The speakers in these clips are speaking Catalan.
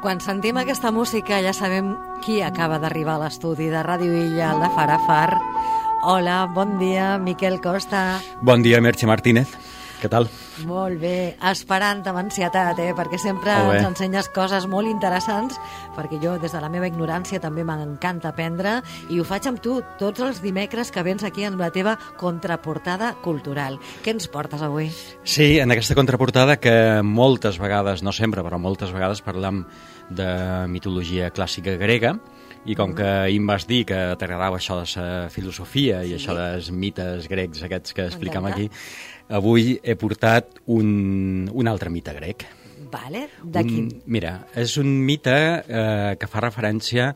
Quan sentim aquesta música ja sabem qui acaba d'arribar a l'estudi de Ràdio Illa, el de Farafar. Hola, bon dia, Miquel Costa. Bon dia, Merche Martínez. Què tal? Molt bé, esperant amb ansietat, perquè sempre ens ensenyes coses molt interessants, perquè jo, des de la meva ignorància, també m'encanta aprendre, i ho faig amb tu tots els dimecres que vens aquí amb la teva contraportada cultural. Què ens portes avui? Sí, en aquesta contraportada que moltes vegades, no sempre, però moltes vegades parlam de mitologia clàssica grega, i com que ahir em vas dir que t'agradava això de la filosofia i això dels mites grecs aquests que explicam aquí, avui he portat un altre mite grec. Vale, de quin? Mira, és un mite que fa referència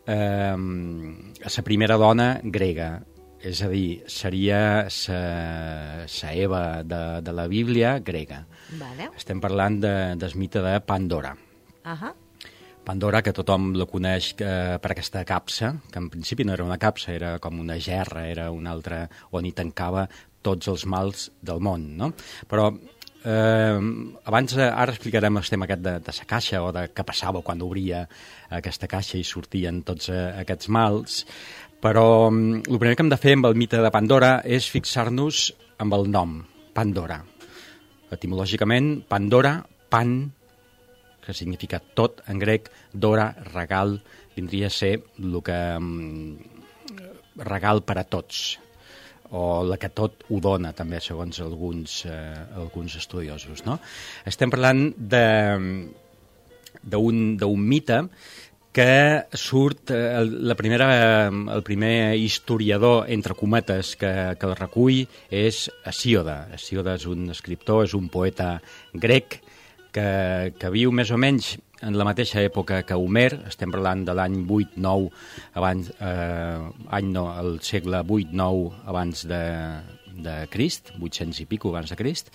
a la primera dona grega. És a dir, seria la Eva de la Bíblia grega. Vale. Estem parlant del mite de Pandora. Pandora, que tothom la coneix per aquesta capsa, que en principi no era una capsa, era com una gerra, era una altra on hi tancava tots els mals del món, no? Però abans, ara explicarem el tema aquest de la caixa, o de què passava quan obria aquesta caixa i sortien tots aquests mals, però el primer que hem de fer amb el mite de Pandora és fixar-nos amb el nom, Pandora. Etimològicament, Pandora, pan, que significa tot en grec, dora, regal, vindria a ser el que regal per a tots, o la que tot ho dona, també, segons alguns estudiosos, no? Estem parlant d'un mite que surt, el primer historiador, entre cometes, que el recull és Hesíode. Hesíode és un escriptor, és un poeta grec, que viu més o menys en la mateixa època que Homer, estem parlant de l'any 8-9 abans, el segle 8-9 abans de Crist, 800 i pico abans de Crist,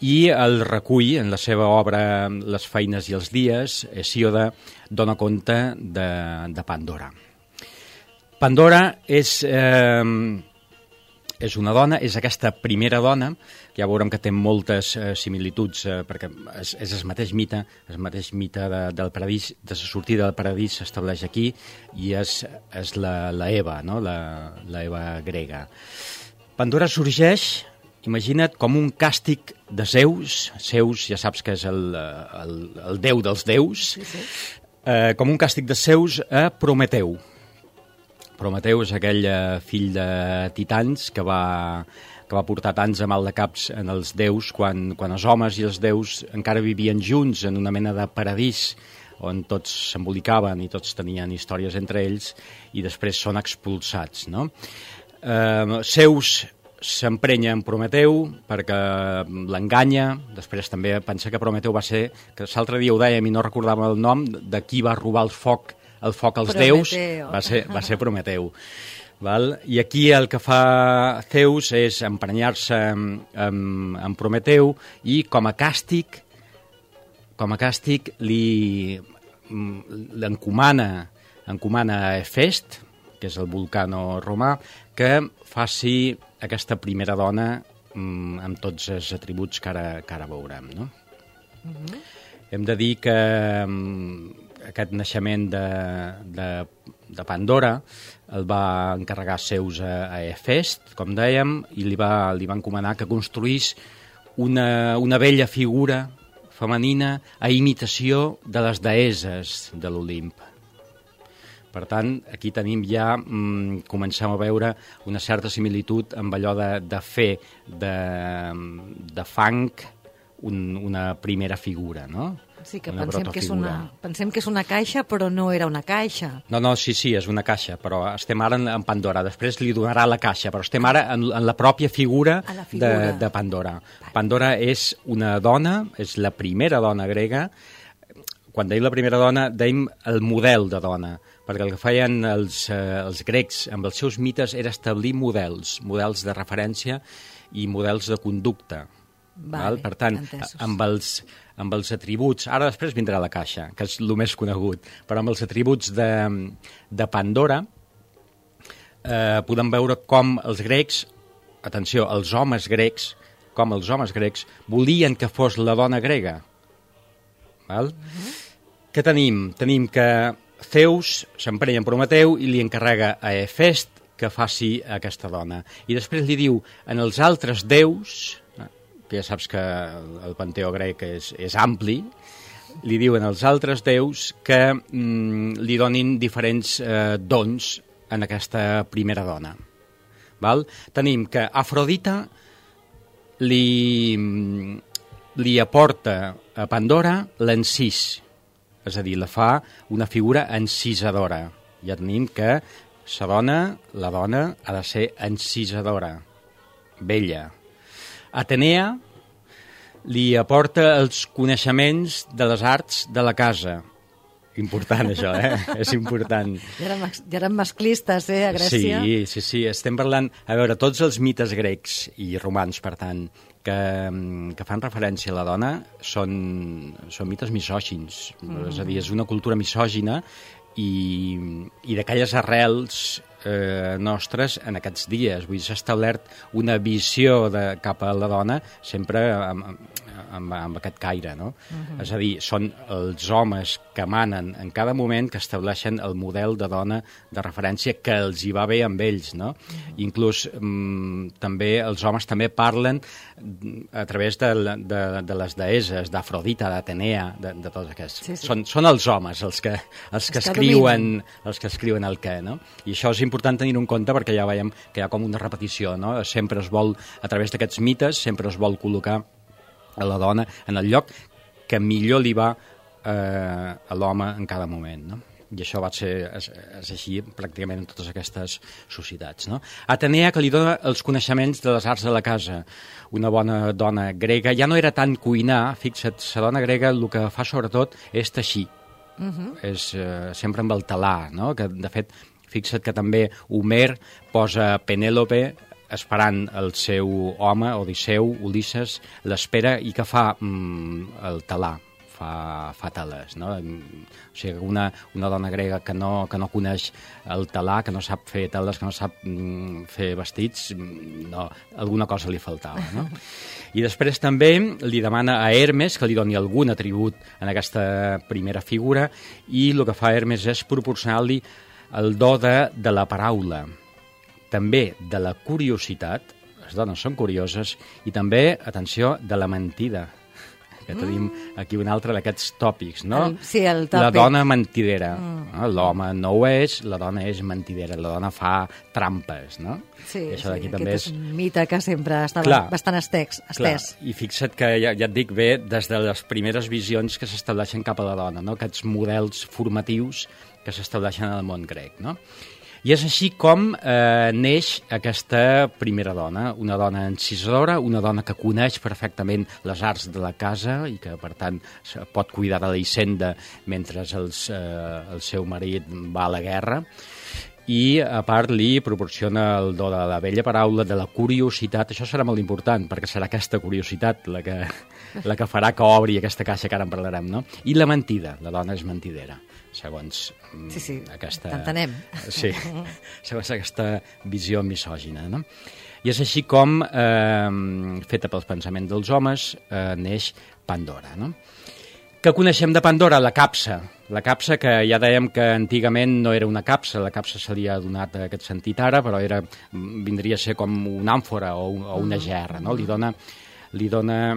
i el recull en la seva obra Les feines i els dies. Hesíode dona compte de Pandora. Pandora és una dona, és aquesta primera dona, ja veurem que té moltes similituds, perquè és el mateix mite del paradís, de la sortida del paradís s'estableix aquí, i és la Eva, no? la Eva grega. Pandora sorgeix, imagina't, com un càstig de Zeus. Zeus, ja saps que és el déu dels déus, com un càstig de Zeus a Prometeu. Prometeu és aquell fill de Titans que va portar tants a mal de caps en els déus quan els homes i els déus encara vivien junts en una mena de paradís on tots s'embolicaven i tots tenien històries entre ells, i després són expulsats, no? Zeus s'emprenya en Prometeu perquè l'enganya. Després també pensa que Prometeu va ser, que l'altre dia ho dèiem i no recordàvem el nom, de qui va robar el foc als déus, va ser Prometeu. Val? I aquí el que fa Zeus és emprenyar-se amb Prometeu, i com a càstig l'encomana a Hefest, que és el vulcano romà, que faci aquesta primera dona amb tots els atributs que ara veurem, no? Hem de dir que aquest naixement de Pandora el va encarregar Zeus a Hefest, com dèiem, i li va encomanar que construís una bella figura femenina a imitació de les deesses de l'Olimp. Per tant, aquí tenim ja, comencem a veure una certa similitud amb allò de fer de fang una primera figura, no? Sí, que pensem que és una caixa, però no era una caixa. No, sí, és una caixa, però estem ara en Pandora. Després li donarà la caixa, però estem ara en la pròpia figura de Pandora. Pandora és una dona, és la primera dona grega. Quan deim la primera dona, deim el model de dona, perquè el que feien els grecs amb els seus mites era establir models de referència i models de conducta. Vale, per tant, amb els atributs, ara després vindrà la caixa, que és el més conegut, però amb els atributs de Pandora podem veure com els grecs, atenció, els homes grecs volien que fos la dona grega. Val? Què tenim? Tenim que Zeus s'emprenya en Prometeu i li encarrega a Hefest que faci aquesta dona. I després li diu en els altres déus, que ja saps que el panteó grec és ampli, li diu en els altres déus que li donin diferents dons en aquesta primera dona. Val? Tenim que Afrodita li aporta a Pandora l'encís, és a dir, la fa una figura encisadora. Ja tenim que la dona ha de ser encisadora, bella. Atenea li aporta els coneixements de les arts de la casa. Important, això, És important. Ja eren masclistes, a Grècia? Sí. Estem parlant... A veure, tots els mites grecs i romans, per tant, que fan referència a la dona són mites misògins. És a dir, és una cultura misògina i d'aquelles arrels nostres en aquests dies. Vull dir, s'ha establert una visió cap a la dona sempre amb aquest caire, no? És a dir, són els homes que manen en cada moment que estableixen el model de dona de referència que els hi va bé amb ells, no? Inclús també els homes també parlen a través de les deeses, d'Afrodita, d'Atenea, de tots aquests. Sí. Són els homes els que escriuen el què, no? I això és important tenir en compte perquè ja veiem que hi ha com una repetició, no? Sempre es vol, a través d'aquests mites, sempre es vol col·locar a la dona en el lloc que millor li va a l'home en cada moment, no? I això és així pràcticament en totes aquestes societats, no? Atenea, que li dona els coneixements de les arts de la casa. Una bona dona grega ja no era tant cuinar, fixa't, la dona grega el que fa sobretot és teixir. És sempre amb el talar, no? Que, de fet, fixa't que també Homer posa Penèlope esperant el seu home, Odisseu, Ulisses, l'espera i que fa el talar, fa teles, no? O sigui, una dona grega que no coneix el talar, que no sap fer teles, que no sap fer vestits, no, alguna cosa li faltava, no? I després també li demana a Hermes que li doni algun atribut en aquesta primera figura i el que fa Hermes és proporcionar-li el do de la paraula, també de la curiositat, les dones són curioses, i també, atenció, de la mentida, que tenim aquí un altre d'aquests tòpics, no? Sí, el tòpic. La dona mentidera. L'home no ho és, la dona és mentidera, la dona fa trampes, no? Sí, aquest és un mite que sempre estava bastant estès. Clar. I fixa't que ja et dic bé, des de les primeres visions que s'estableixen cap a la dona, no? Aquests models formatius que s'estableixen en el món grec, no? I és així com neix aquesta primera dona, una dona encisadora, una dona que coneix perfectament les arts de la casa i que, per tant, pot cuidar de la hisenda mentre el seu marit va a la guerra. I, a part, li proporciona el do de la bella paraula, de la curiositat. Això serà molt important, perquè serà aquesta curiositat la que farà que obri aquesta caixa que ara en parlarem, no? I la mentida, la dona és mentidera, segons aquesta... t'entenem. Sí, segons aquesta visió misògina, no? I és així com, feta pels pensaments dels homes, neix Pandora, no? Què coneixem de Pandora? La capsa. La capsa, que ja dèiem que antigament no era una capsa, la capsa se li ha donat aquest sentit ara, però vindria a ser com una àmfora o una gerra, no? Li dona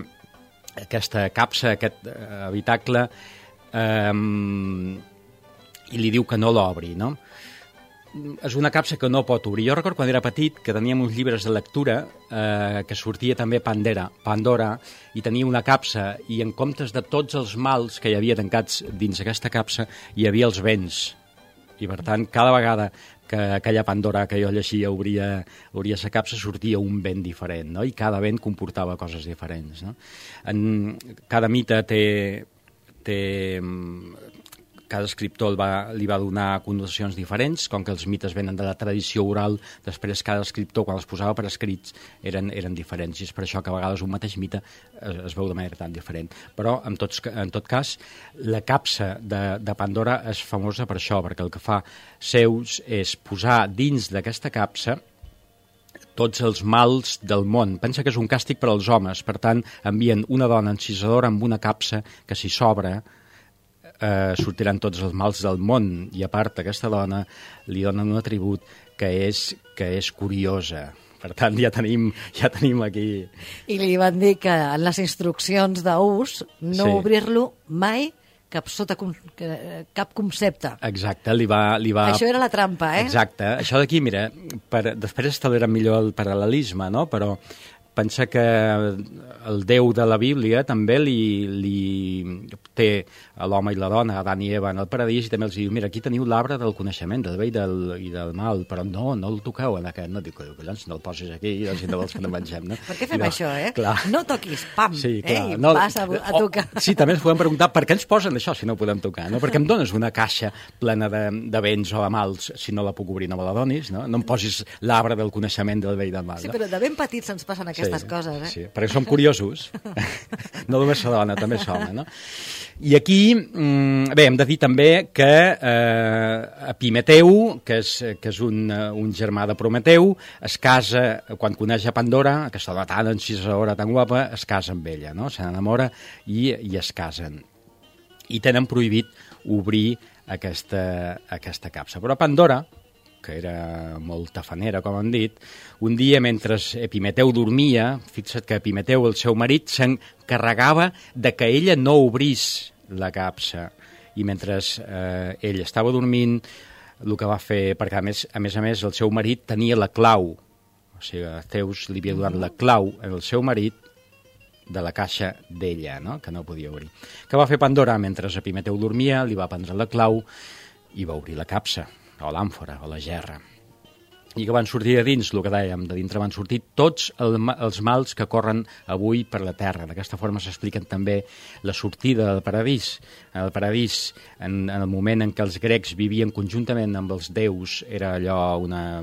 aquesta capsa, aquest habitacle, i li diu que no l'obri, no? És una capsa que no pot obrir. Jo recordo quan era petit que teníem uns llibres de lectura que sortia també Pandora, i tenia una capsa, i en comptes de tots els mals que hi havia tancats dins aquesta capsa, hi havia els béns. I per tant, cada vegada que aquella Pandora que jo llegia obria la capsa, sortia un vent diferent, no? I cada vent comportava coses diferents, no? Cada mite cada escriptor li va donar connotacions diferents, com que els mites venen de la tradició oral, després cada escriptor, quan els posava per escrits, eren diferents, i és per això que a vegades un mateix mite es veu de manera tan diferent. Però, en tot cas, la capsa de Pandora és famosa per això, perquè el que fa Zeus és posar dins d'aquesta capsa tots els mals del món. Pensa que és un càstig per als homes, per tant, envien una dona encisadora amb una capsa que, si s'obre, sortiran tots els mals del món, i a part aquesta dona li donen un atribut que és curiosa. Per tant, ja tenim aquí... I li van dir que en les instruccions d'ús no obrir-lo mai cap concepte. Exacte, li va... Això era la trampa, eh? Exacte. Això d'aquí, mira, després establirem millor el paral·lelisme, no? Però pensa que el Déu de la Bíblia també li té a l'home i la dona, Adán i Eva, en el paradís, i també els diu, mira, aquí teniu l'arbre del coneixement, del bé i del mal, però no el toqueu en aquest, no, dic, collons, no el posis aquí, si no vols que no mengem, no? Per què fem això, eh? Clar. No toquis, pam, sí, clar, i vas a tocar. Sí, també ens podem preguntar per què ens posen això si no ho podem tocar, no? Perquè em dones una caixa plena de béns o de mals, si no la puc obrir no me la donis, no? No em posis l'arbre del coneixement del bé i del mal. Sí, però de ben petits ens passen aquestes coses, eh? Sí, perquè som curiosos. No només la dona, també som, no? I aquí, bé, hem de dir també que Epimeteu, que és un germà de Prometeu, es casa, quan coneix a Pandora, aquesta dona tan encisadora, tan guapa, es casa amb ella, no? Se n'enamora i es casen. I tenen prohibit obrir aquesta capsa. Però Pandora, que era molt tafanera, com han dit, un dia, mentre Epimeteu dormia, fixa't que Epimeteu, el seu marit, s'encarregava de que ella no obrís la capsa. I mentre ell estava dormint, el que va fer, perquè a més el seu marit tenia la clau, o sigui, Zeus li havia donat la clau al seu marit de la caixa d'ella, no? Que no podia obrir. Què va fer Pandora? Mentre Epimeteu dormia, li va prendre la clau i va obrir la capsa, o l'àmfora, o la gerra. I que van sortir de dins, el que dèiem, de dintre van sortir tots els mals que corren avui per la Terra. D'aquesta forma s'expliquen també la sortida del paradís. En el paradís, en el moment en què els grecs vivien conjuntament amb els déus, era una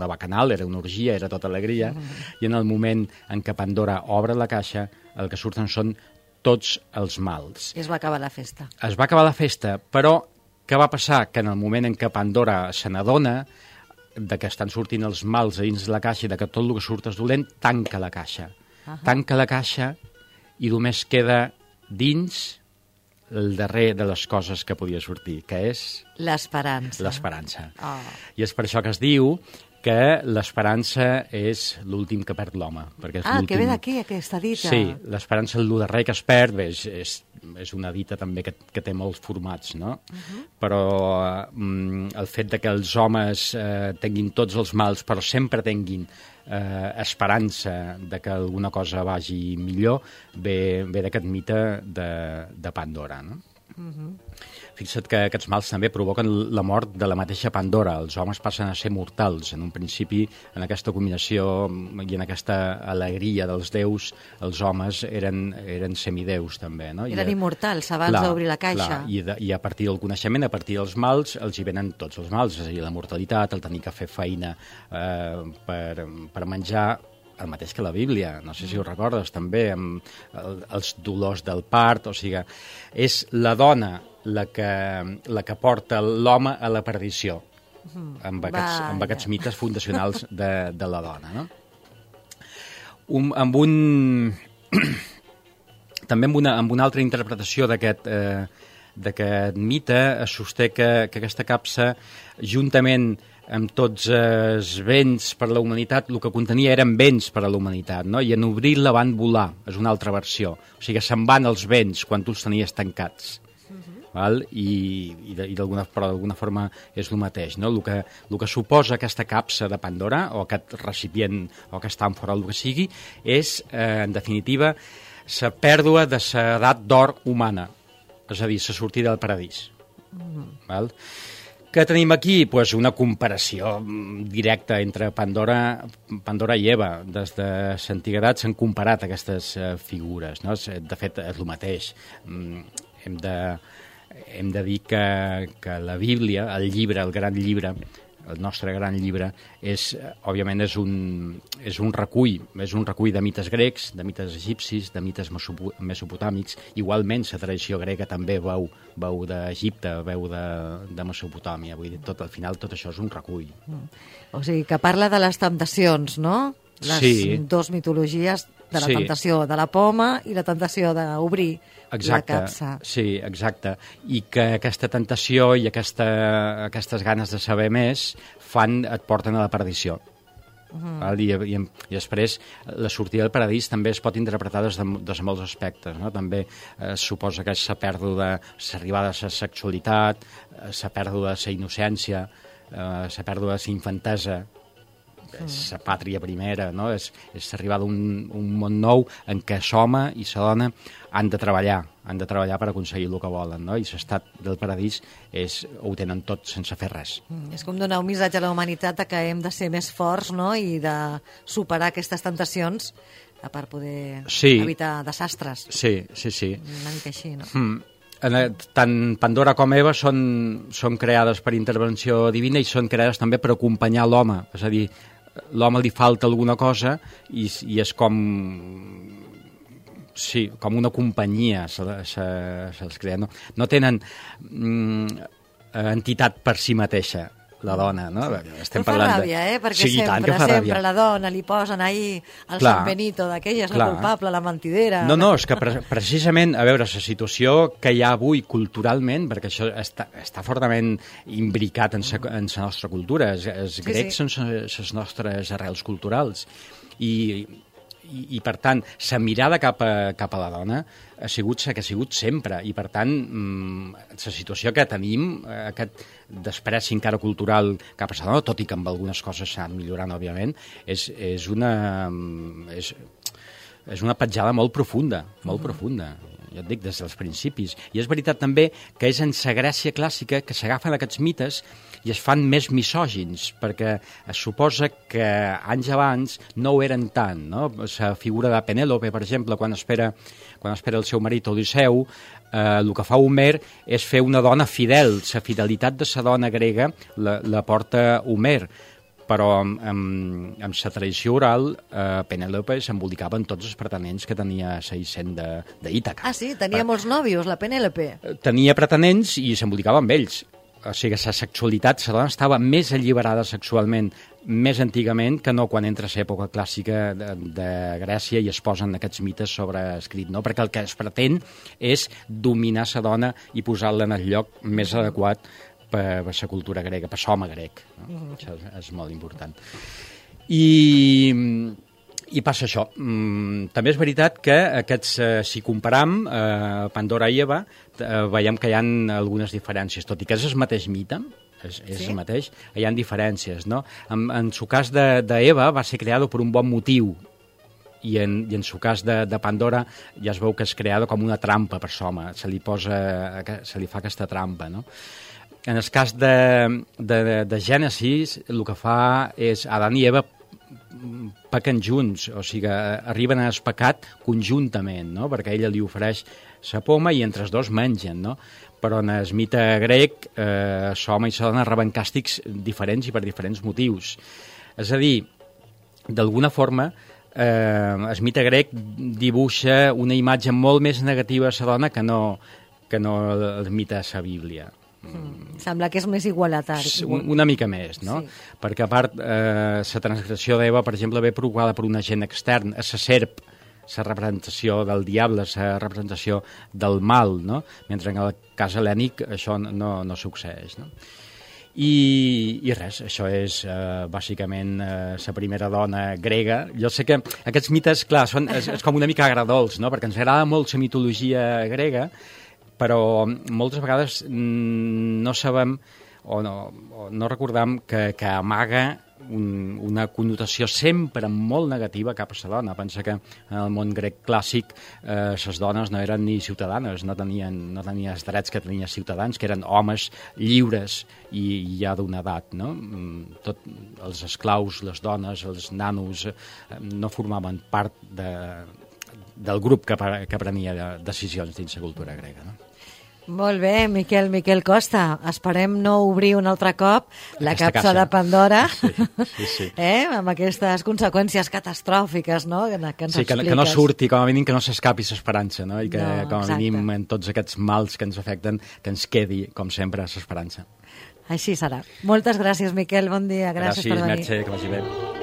bacanal, era una orgia, era tota alegria, i en el moment en què Pandora obre la caixa, el que surten són tots els mals. I es va acabar la festa. Es va acabar la festa, però què va passar? Que en el moment en què Pandora se n'adona de que estan sortint els mals a dins de la caixa i de que tot el que surt és dolent, tanca la caixa. Tanca la caixa i només queda dins el darrer de les coses que podia sortir, que és... L'esperança. L'esperança. I és per això que es diu que l'esperança és l'últim que perd l'home. Que ve d'aquí, aquesta dita. Sí, l'esperança és el darrer que es perd, bé, és una dita també que té molts formats, no? Però el fet de que els homes tinguin tots els mals, però sempre tinguin esperança de que alguna cosa vagi millor, ve d'aquest mite de Pandora, no? Fixa't que aquests mals també provoquen la mort de la mateixa Pandora. Els homes passen a ser mortals. En un principi, en aquesta combinació i en aquesta alegria dels déus, els homes eren semideus també, no? Eren immortals abans d'obrir la caixa. I a partir del coneixement, a partir dels mals, els hi venen tots els mals, és a dir, la mortalitat, el tenir que fer feina per menjar, el mateix que la Bíblia, no sé si ho recordes també, amb els dolors del part, o sigui, és la dona la que porta l'home a la perdició, amb aquests mites fundacionals de la dona, no? També amb una altra interpretació d'aquest mite es sosté que aquesta capsa, juntament amb tots els béns per a la humanitat, el que contenia eren béns per a la humanitat, no? I en obrir-la van volar, és una altra versió. O sigui, se'n van els béns quan tu els tenies tancats. Val? Però d'alguna forma és el mateix, no? El que suposa aquesta capsa de Pandora, o aquest recipient, o aquesta àmfora, el que sigui, és, en definitiva, la pèrdua de l'edat d'or humana, és a dir, la sortida del paradís. Val? Què tenim aquí? Pues una comparació directa entre Pandora i Eva. Des de l'antiguitat s'han comparat aquestes figures, no? De fet, és el mateix. Hem de dir que la Bíblia, el llibre, el gran llibre, el nostre gran llibre, òbviament és un recull de mites grecs, de mites egipcis, de mites mesopotàmics. Igualment, la tradició grega també veu d'Egipte, veu de Mesopotàmia. Vull dir, al final tot això és un recull. O sigui, que parla de les temptacions, no? les dues mitologies de la tentació de la poma i la tentació d'obrir la capsa. Sí, exacte. I que aquesta tentació i aquestes ganes de saber més et porten a la perdició. I després la sortida del paradís també es pot interpretar des de molts aspectes, no? També suposa que és la pèrdua, l'arribada de la sexualitat, la pèrdua de la innocència, la pèrdua de la infantesa, és la pàtria primera, no? És l'arribada d'un món nou en què l'home i la dona han de treballar per aconseguir el que volen, no? I l'estat del paradís ho tenen tot sense fer res. És com donar un missatge a la humanitat que hem de ser més forts, no? I de superar aquestes tentacions per poder evitar desastres. Sí. Una mica així, no? Tant Pandora com Eva són creades per intervenció divina i són creades també per acompanyar l'home, és a dir, l'home li falta alguna cosa i és com una companyia se'ls crea. No tenen entitat per si mateixa, la dona, no? Estem parlant ràbia, perquè sempre la dona li posen ahí el San Benito d'aquella, és la culpable, la mentidera. No, és que precisament, a veure, la situació que hi ha avui culturalment, perquè això està fortament imbricat en la nostra cultura, els grecs són les nostres arrels culturals, i per tant, la mirada cap a la dona ha sigut la que ha sigut sempre, i per tant, la situació que tenim, aquest despreci encara cultural cap a la dona, tot i que amb algunes coses s'han millorant, òbviament, és una petjada molt profunda, ja et dic, des dels principis. I és veritat també que és en la Grècia clàssica que s'agafen aquests mites i es fan més misògins, perquè es suposa que anys abans no ho eren tant, no? La figura de Penèlope, per exemple, quan espera el seu marit Odisseu, el que fa Homer és fer una dona fidel. La fidelitat de la dona grega la porta Homer, però amb la tradició oral, Penèlope s'embolicava en tots els pretenents que tenia la Hisenda d'Ítaca. Ah, sí? Tenia molts nòvios, la Penèlope? Tenia pretenents i s'embolicava amb ells. O sigui, la sexualitat, la dona estava més alliberada sexualment més antigament que no quan entra l'època clàssica de Grècia i es posen aquests mites sobre escrit, no? Perquè el que es pretén és dominar la dona i posar-la en el lloc més adequat per la cultura grega, per l'home grec. No? Això és molt important. I passa això. També és veritat que aquests, si comparam Pandora i Eva, veiem que hi ha algunes diferències, tot i que és el mateix mite, és el mateix, hi ha diferències, no? En el cas d'Eva va ser creada per un bon motiu, i en el cas de Pandora ja es veu que és creada com una trampa per l'home, se li fa aquesta trampa, no? En el cas de Gènesis, el que fa és Adán i Eva pequen junts, o sigui, arriben al pecat conjuntament, no? Perquè ella li ofereix la poma i entre els dos mengen, no? Però en el mite grec l'home i la dona reben càstigs diferents i per diferents motius. És a dir, d'alguna forma, el mite grec dibuixa una imatge molt més negativa a la dona que no el mite a la Bíblia. Sembla que és més igualatari. Una mica més, no? Sí. Perquè a part, la transgressió d'Eva, per exemple, ve provocada per un agent extern, a la serp, la representació del diable, la representació del mal, no? Mentre en el cas hel·lènic això no succeeix, no? I res, això és bàsicament la primera dona grega. Jo sé que aquests mites, clar, és com una mica agradols, no? Perquè ens agrada molt la mitologia grega, però moltes vegades no sabem o no recordam que amaga una connotació sempre molt negativa cap a la dona. Pensa que en el món grec clàssic les dones no eren ni ciutadanes, no tenien els drets que tenien ciutadans, que eren homes lliures i ja d'una edat, no? Tots els esclaus, les dones, els nanos no formaven part del grup que prenia decisions dins la cultura grega, no? Molt bé, Miquel Costa. Esperem no obrir un altre cop la capsa de Pandora, sí. Amb aquestes conseqüències catastròfiques, no? Que ens expliques. Que no surti, com a mínim que no s'escapi l'esperança, no? I que com a mínim en tots aquests mals que ens afecten, que ens quedi, com sempre, l'esperança. Així serà. Moltes gràcies, Miquel. Bon dia. Gràcies per venir. Gràcies, Mercè, que vagi bé.